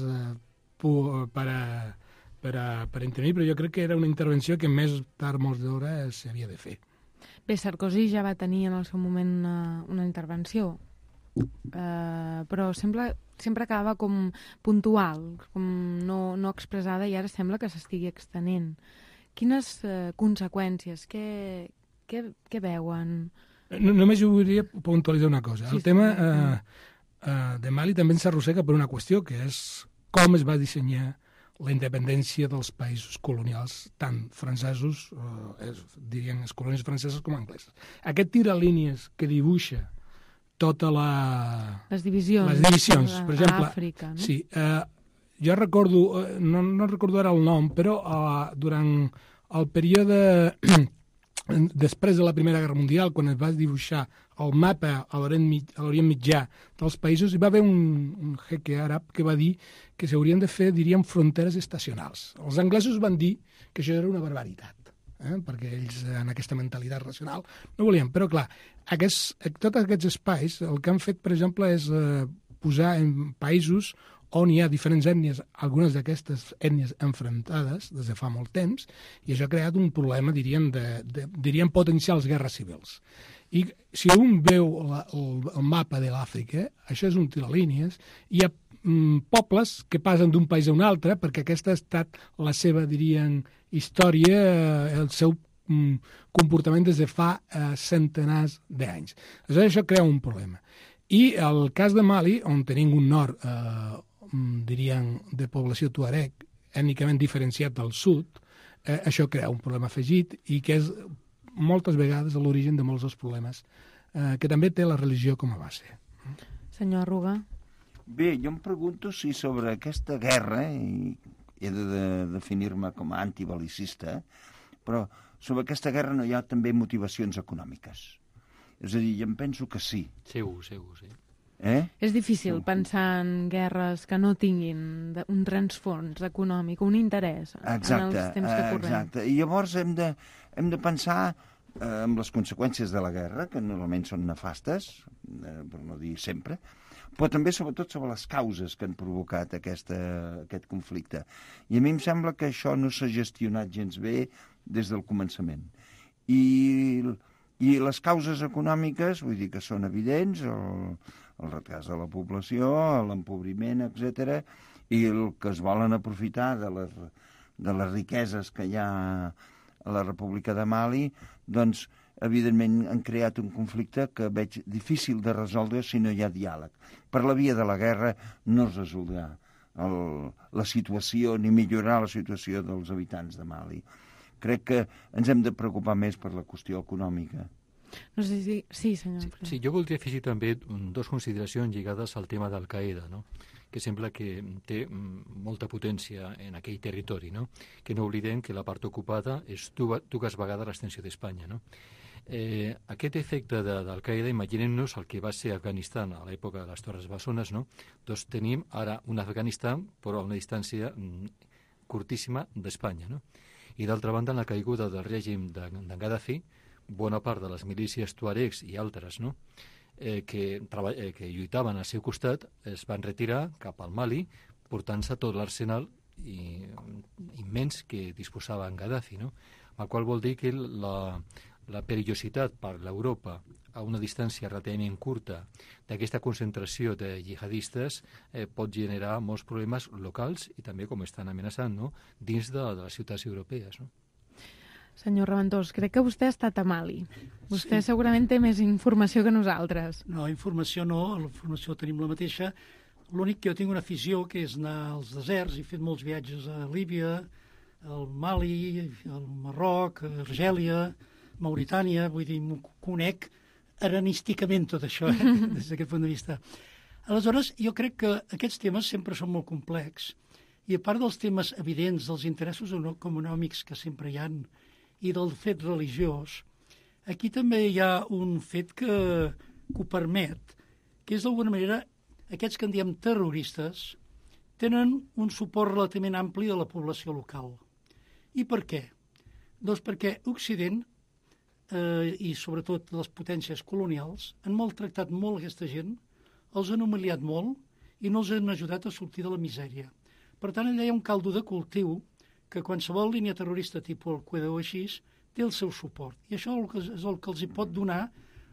per intervenir, però jo crec que era una intervenció que més tard, molts d'hora, s'havia de fer. Bé, Sarkozy ja va tenir en el seu moment una intervenció, però sempre quedava com puntual, com no expressada, i ara sembla que s'estigui extenent. Quines conseqüències? Què veuen? Només jo volia puntualitzar una cosa. El tema de Mali també ens arrossega per una qüestió, que és com es va dissenyar la independència dels països colonials, tant francesos, dirien les colònies franceses com angleses. Aquest tiralínies que dibuixa tota les divisions per exemple, Àfrica, no? Sí, jo recordo, no recordo ara el nom, però durant el període després de la Primera Guerra Mundial, quan es va dibuixar el mapa a l'Orient Mitjà dels països, hi va haver un jeque àrab que va dir que s'haurien de fer, diríem, fronteres estacionals. Els anglesos van dir que això era una barbaritat, perquè ells, en aquesta mentalitat racional, no volien. Però, clar, tots aquests espais, el que han fet, per exemple, és posar en països on hi ha diferents ètnies, algunes d'aquestes ètnies enfrontades des de fa molt temps, i això ha creat un problema, diríem potencials guerres civils. I si un veu el mapa de l'Àfrica, això és un tiralínies, hi ha pobles que passen d'un país a un altre, perquè aquesta ha estat la seva, dirien, història, el seu comportament des de fa centenars d'anys. Aleshores, això crea un problema. I el cas de Mali, on tenim un nord diríem, de població tuareg, ètnicament diferenciat del sud, això crea un problema afegit i que és moltes vegades l'origen de molts dels problemes que també té la religió com a base. Senyor Arruga? Bé, jo em pregunto si sobre aquesta guerra, i he de definir-me com a antibelicista, però sobre aquesta guerra no hi ha també motivacions econòmiques. És a dir, jo em penso que sí. Segur, sí. És difícil pensar en guerres que no tinguin un transfons econòmic, un interès en els temps que correm. Exacte. I llavors hem de pensar en les conseqüències de la guerra, que normalment són nefastes, per no dir sempre, però també sobretot sobre les causes que han provocat aquest conflicte. I a mi em sembla que això no s'ha gestionat gens bé des del començament. I les causes econòmiques, vull dir que són evidents, el retras de la població, l'empobriment, etc., i el que es volen aprofitar de les riqueses que hi ha a la República de Mali, doncs, evidentment, han creat un conflicte que veig difícil de resoldre si no hi ha diàleg. Per la via de la guerra no es resoldrà la situació ni millorar la situació dels habitants de Mali. Crec que ens hem de preocupar més per la qüestió econòmica. No sé si... Sí, senyor. Sí, jo voldria afegir també dues consideracions lligades al tema d'Al-Qaeda, no? Que sembla que té molta potència en aquell territori, no? Que no oblidem que la part ocupada és dues vegades l'extensió d'Espanya, no? Aquest efecte d'Al-Qaeda, imaginem-nos el que va ser Afganistan a l'època de les Torres Bessones, no? Doncs tenim ara un Afganistan però a una distància curtíssima d'Espanya, no? I d'altra banda, en la caiguda del règim d'en Gaddafi, bona part de les milícies tuaregs i altres, no? Que lluitaven al seu costat es van retirar cap al Mali, portant-se tot l'arsenal immens que disposava en Gaddafi, no? El qual vol dir que la perillositat per l'Europa a una distància relativament curta d'aquesta concentració de jihadistes pot generar molts problemes locals i també, com estan amenaçant, no? Dins de les ciutats europees, no? Senyor Raventós, crec que vostè ha estat a Mali. Vostè segurament té més informació que nosaltres. No, informació no, la informació tenim la mateixa. L'únic que jo tinc una afició, que és anar als deserts. He fet molts viatges a Líbia, al Mali, al Marroc, a Argèlia, Mauritània, vull dir, m'ho conec arenísticament tot això, des d'aquest punt de vista. Aleshores, jo crec que aquests temes sempre són molt complexos, i a part dels temes evidents, dels interessos econòmics que sempre hi ha, i del fet religiós, aquí també hi ha un fet que ho permet, que és d'alguna manera, aquests que en diem terroristes, tenen un suport relativament ampli de la població local. I per què? Doncs perquè Occident, i sobretot les potències colonials, han maltractat molt aquesta gent, els han humiliat molt i no els han ajudat a sortir de la misèria. Per tant, allà hi ha un caldo de cultiu que qualsevol línia terrorista tipus el Qaeda o així té el seu suport. I això és el que els hi pot donar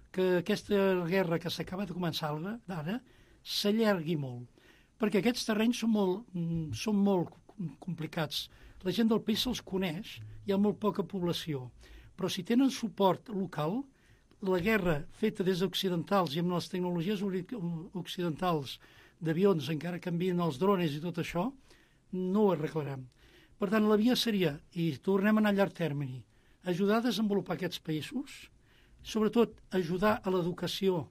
que aquesta guerra que s'acaba de començar d'ara s'allargui molt. Perquè aquests terrenys són molt complicats. La gent del país se'ls coneix, hi ha molt poca població. Però si tenen suport local, la guerra feta des d'occidentals i amb les tecnologies occidentals d'avions, encara canvien els drones i tot això, no ho arreglarem. Per tant, la via seria, i tornem a anar a llarg termini, ajudar a desenvolupar aquests països, sobretot ajudar a l'educació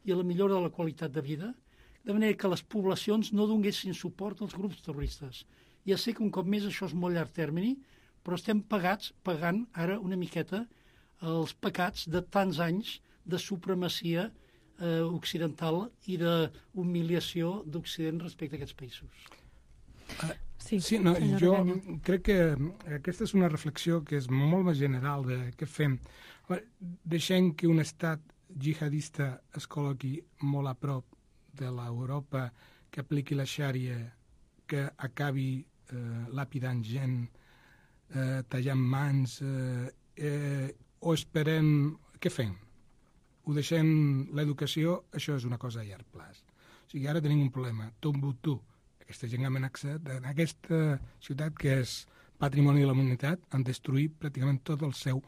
i a la millora de la qualitat de vida, de manera que les poblacions no donguessin suport als grups terroristes. Ja sé que un cop més això és molt llarg termini, però estem pagant ara una miqueta els pecats de tants anys de supremacia occidental i d'humiliació d'Occident respecte a aquests països. Sí, no, jo crec que aquesta és una reflexió que és molt més general de què fem. Deixem que un estat jihadista es col·loqui molt a prop de l'Europa, que apliqui la xària, que acabi lapidant gent, tallant mans, o esperem... Què fem? Ho deixem l'educació? Això és una cosa a llarg plaç. O sigui, ara tenim un problema. Tombouctou, aquesta gent amenaçat, en aquesta ciutat que és patrimoni de la humanitat, han destruït pràcticament tot el seu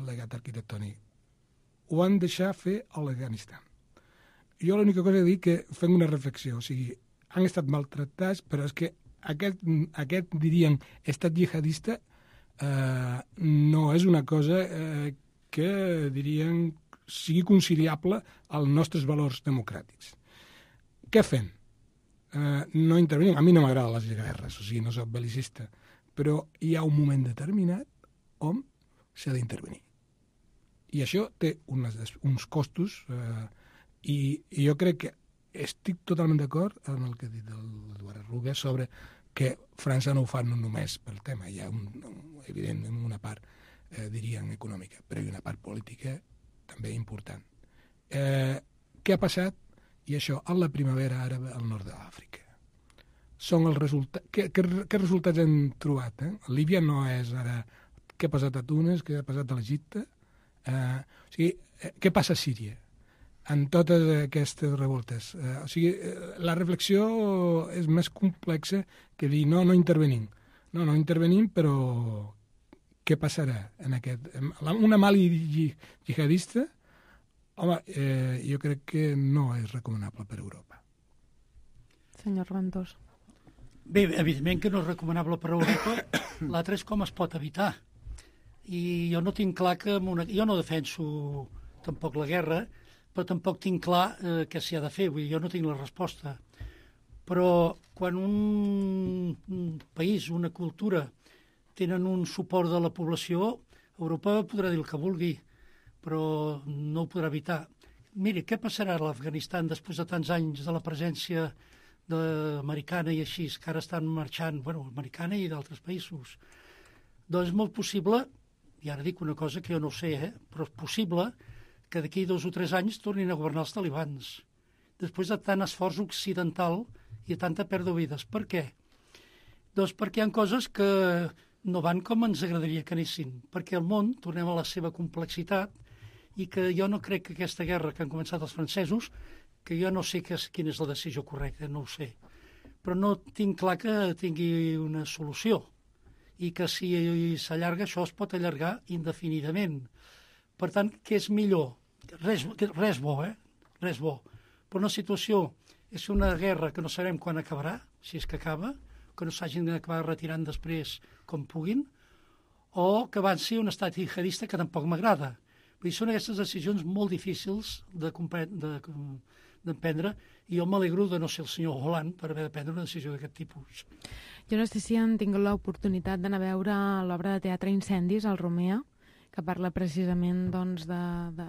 legat arquitectònic. Ho han deixat fer a l'Afganistan. Jo l'única cosa que dic que fem una reflexió, o sigui, han estat maltractats, però és que aquest diríem, estat jihadista no és una cosa que, diríem, sigui conciliable als nostres valors democràtics. Què fem? No intervenim. A mi no m'agraden les guerres, o sigui, no soc belicista, però hi ha un moment determinat on s'ha d'intervenir. I això té uns costos i jo crec que estic totalment d'acord amb el que ha dit l'Eduard Ruga sobre que França no ho fa no només pel tema. Hi ha, evidentment, una part, diríem, econòmica, però hi ha una part política també important. Què ha passat? i això a la primavera àrab al nord de l'Àfrica. Són els resultats... Què resultats hem trobat? Líbia no és ara què ha passat a Tunis, què ha passat a l'Egipte. O sigui, què passa a Síria en totes aquestes revoltes? O sigui, la reflexió és més complexa que dir no intervenim. No intervenim, però què passarà en aquest... Una Mali jihadista, home, jo crec que no és recomanable per Europa. Senyor Reventós. Bé, evidentment que no és recomanable per Europa. L'altre és com es pot evitar. I jo no tinc clar que... Jo no defenso tampoc la guerra, però tampoc tinc clar què s'hi ha de fer. Vull dir, jo no tinc la resposta. Però quan un país, una cultura, tenen un suport de la població, Europa podrà dir el que vulgui, però no ho podrà evitar. Miri, què passarà a l'Afganistan després de tants anys de la presència americana i així, que ara estan marxant, americana i d'altres països? Doncs és molt possible, i ara dic una cosa que jo no sé, però és possible que d'aquí 2 o 3 anys tornin a governar els talibans, després de tant esforç occidental i de tanta pèrdua de vides. Per què? Doncs perquè hi ha coses que no van com ens agradaria que anessin, perquè el món, tornem a la seva complexitat, i que jo no crec que aquesta guerra que han començat els francesos, que jo no sé quina és la decisió correcta, no ho sé, però no tinc clar que tingui una solució, i que si s'allarga això es pot allargar indefinidament. Per tant, què és millor? Res bo, res bo. Però una situació és una guerra que no sabem quan acabarà, si és que acaba, que no s'hagin d'acabar retirant després com puguin, o que avanci un estat jihadista que tampoc m'agrada. Vull dir, són aquestes decisions molt difícils d'emprendre, i jo m'alegro de no ser el senyor Hollande per haver de prendre una decisió d'aquest tipus. Jo no sé si han tingut l'oportunitat d'anar a veure l'obra de teatre Incendis, al Romea, que parla precisament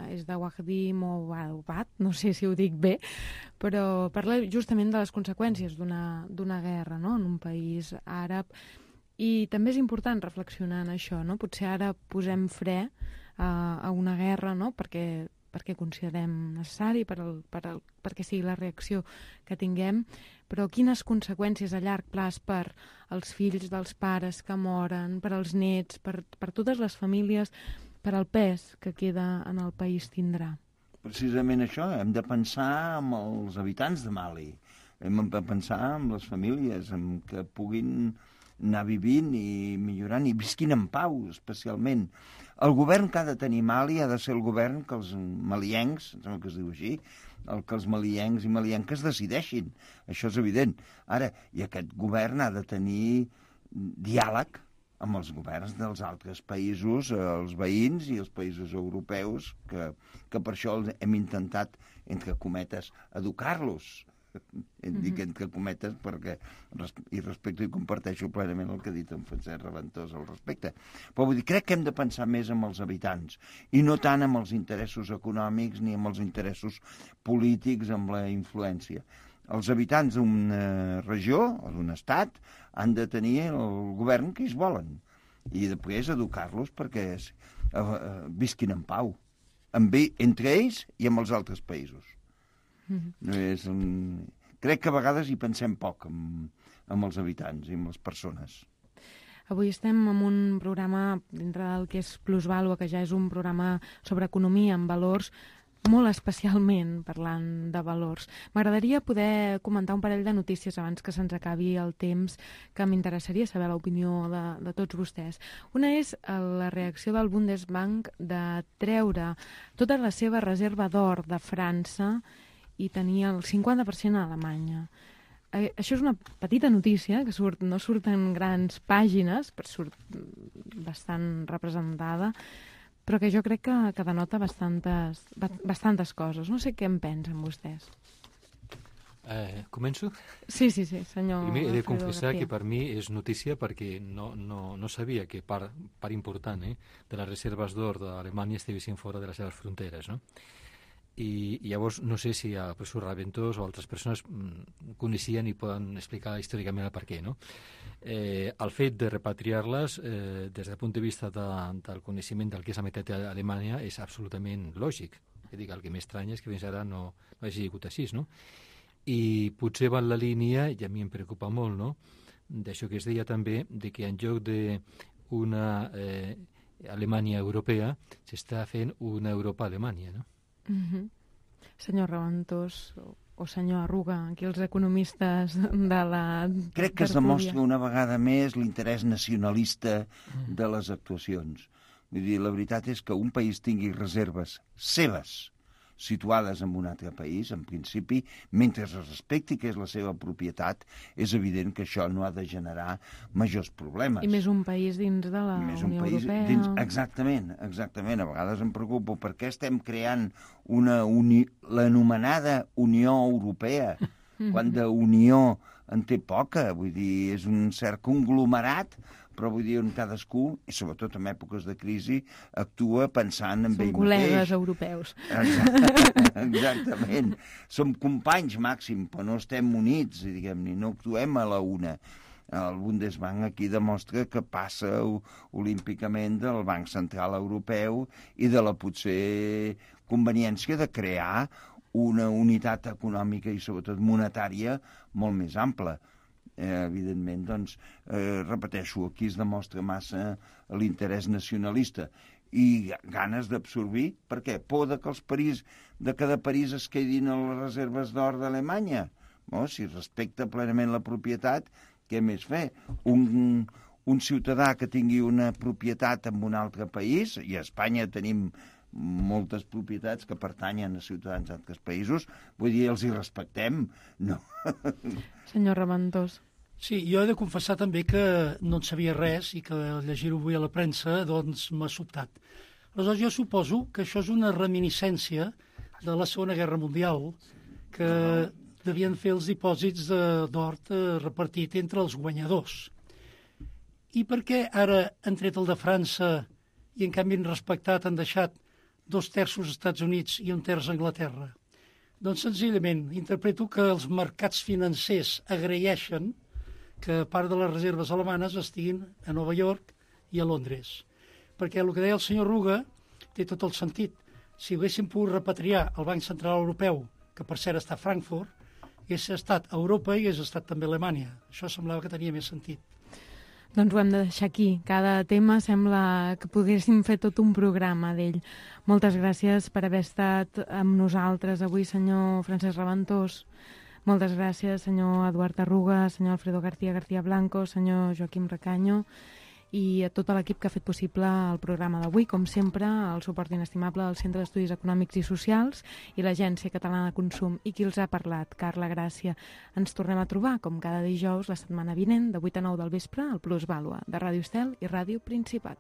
és de Wahdi Mouawad, no sé si ho dic bé, però parla justament de les conseqüències d'una guerra, no?, en un país àrab. I també és important reflexionar en això, no? Potser ara posem fre a una guerra, no?, perquè considerem necessari, perquè sigui la reacció que tinguem, però quines conseqüències a llarg plaç per als fills dels pares que moren, per als nets, per totes les famílies, per al pes que queda en el país tindrà? Precisament això, hem de pensar en els habitants de Mali, hem de pensar en les famílies, en que puguin anar vivint i millorant i visquin en pau, especialment. El govern que ha de tenir Mali ha de ser el govern que els maliencs, em sembla que es diu així, que els maliencs i malienques decideixin. Això és evident. Ara, i aquest govern ha de tenir diàleg amb els governs dels altres països, els veïns i els països europeus, que per això hem intentat, entre cometes, educar-los. Dic entre cometes perquè i respecto i comparteixo plenament el que ha dit en Francesc Reventós al respecte. Però vull dir, crec que hem de pensar més en els habitants i no tant en els interessos econòmics ni en els interessos polítics, amb la influència. Els habitants d'una regió o d'un estat han de tenir el govern que ells volen i després educar-los perquè visquin en pau entre ells i amb els altres països. Crec que a vegades hi pensem poc amb els habitants i amb les persones. Avui estem en un programa dintre del que és Plusvàlua, que ja és un programa sobre economia amb valors, molt especialment parlant de valors. M'agradaria poder comentar un parell de notícies abans que se'ns acabi el temps, que m'interessaria saber l'opinió de tots vostès. Una és la reacció del Bundesbank de treure tota la seva reserva d'or de França i tenia el 50% a Alemanya. Això és una petita notícia, que no surt en grans pàgines, però surt bastant representada, però que jo crec que denota bastantes coses. No sé què en pensen vostès. Començo? Sí, senyor. Primer he de confessar que per mi és notícia perquè no sabia que part important de les reserves d'or d'Alemanya estiguessin fora de les seves fronteres, no? I llavors no sé si el professor Reventós o altres persones coneixien i poden explicar històricament el per què, no? El fet de repatriar-les des del punt de vista del coneixement del que és la meitat d'Alemanya és absolutament lògic. Dic, el que m'estranya és que fins ara no hagi sigut així, no? I potser va en la línia, i a mi em preocupa molt, no?, d'això que es deia també, de que en lloc d'una Alemanya europea s'està fent una Europa-Alemanya, no? Senyor Raventós o senyor Arruga, aquí els economistes de la Crec que es demostra una vegada més l'interès nacionalista de les actuacions. Vull dir, la veritat és que un país tingui reserves seves situades en un altre país, en principi, mentre es respecti que és la seva propietat, és evident que això no ha de generar majors problemes. I més un país dins de la Unió Europea. Exactament. A vegades em preocupo per què estem creant l'anomenada Unió Europea, quan d'unió en té poca. Vull dir, és un cert conglomerat, però vull dir, on cadascú, i sobretot en èpoques de crisi, actua pensant en ell mateix. Són col·legues europeus. Exactament. Som companys màxim, però no estem units, diguem-ne, no actuem a la una. El Bundesbank aquí demostra que passa olímpicament del Banc Central Europeu i de la potser conveniència de crear una unitat econòmica i sobretot monetària molt més ampla. Evidentment, doncs, repeteixo, aquí es demostra massa l'interès nacionalista i ganes d'absorbir, per què? Por de que cada país es quedin a les reserves d'or d'Alemanya. No? Si respecta plenament la propietat, què més fer? Un ciutadà que tingui una propietat en un altre país, i a Espanya tenim moltes propietats que pertanyen a ciutadans d'altres països, vull dir, els hi respectem, no? Senyor Raventós. Sí, jo he de confessar també que no en sabia res i que llegir-ho avui a la premsa doncs m'ha sobtat. Aleshores, jo suposo que això és una reminiscència de la Segona Guerra Mundial, que devien fer els dipòsits d'or repartit entre els guanyadors. I per què ara han tret el de França i en canvi han respectat, han deixat 2/3 als Estats Units i 1/3 a Anglaterra? Doncs senzillament interpreto que els mercats financers agraeixen que part de les reserves alemanes estiguin a Nova York i a Londres. Perquè el que deia el senyor Ruga té tot el sentit. Si haguéssim pogut repatriar el Banc Central Europeu, que per cert està a Frankfurt, hagués estat a Europa i hagués estat també a Alemanya. Això semblava que tenia més sentit. Doncs ho hem de deixar aquí. Cada tema sembla que poguéssim fer tot un programa d'ell. Moltes gràcies per haver estat amb nosaltres avui, senyor Francesc Raventós. Moltes gràcies, senyor Eduard Arruga, senyor Alfredo García Blanco, senyor Joaquim Recaño i a tot l'equip que ha fet possible el programa d'avui. Com sempre, el suport inestimable del Centre d'Estudis Econòmics i Socials i l'Agència Catalana de Consum. I qui els ha parlat? Carla Gràcia. Ens tornem a trobar, com cada dijous, la setmana vinent, de 8 a 9 del vespre, al Plusvàlua, de Ràdio Estel i Ràdio Principat.